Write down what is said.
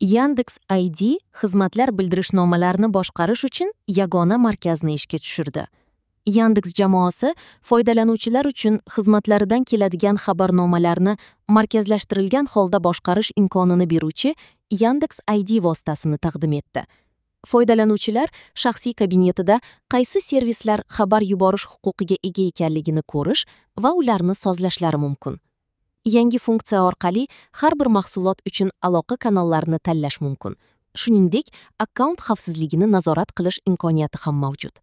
Yandex ID xizmatlar bildirishnomalarini boshqarish uchun yagona markazni ishga tushirdi. Yandex jamoasi foydalanuvchilar uchun xizmatlaridan keladigan xabarnomalarni markazlashtirilgan holda boshqarish imkonini beruvchi Yandex ID vositasini taqdim etdi. Foydalanuvchilar shaxsiy kabinetida qaysi servislar xabar yuborish huquqiga ega ekanligini ko'rish va ularni sozlashlari mumkin. Yangi funksiya orqali har bir mahsulot uchun aloqa kanallarini tanlash mumkin. Shuningdek, akkaunt xavfsizligini nazorat qilish imkoniyati ham mavjud.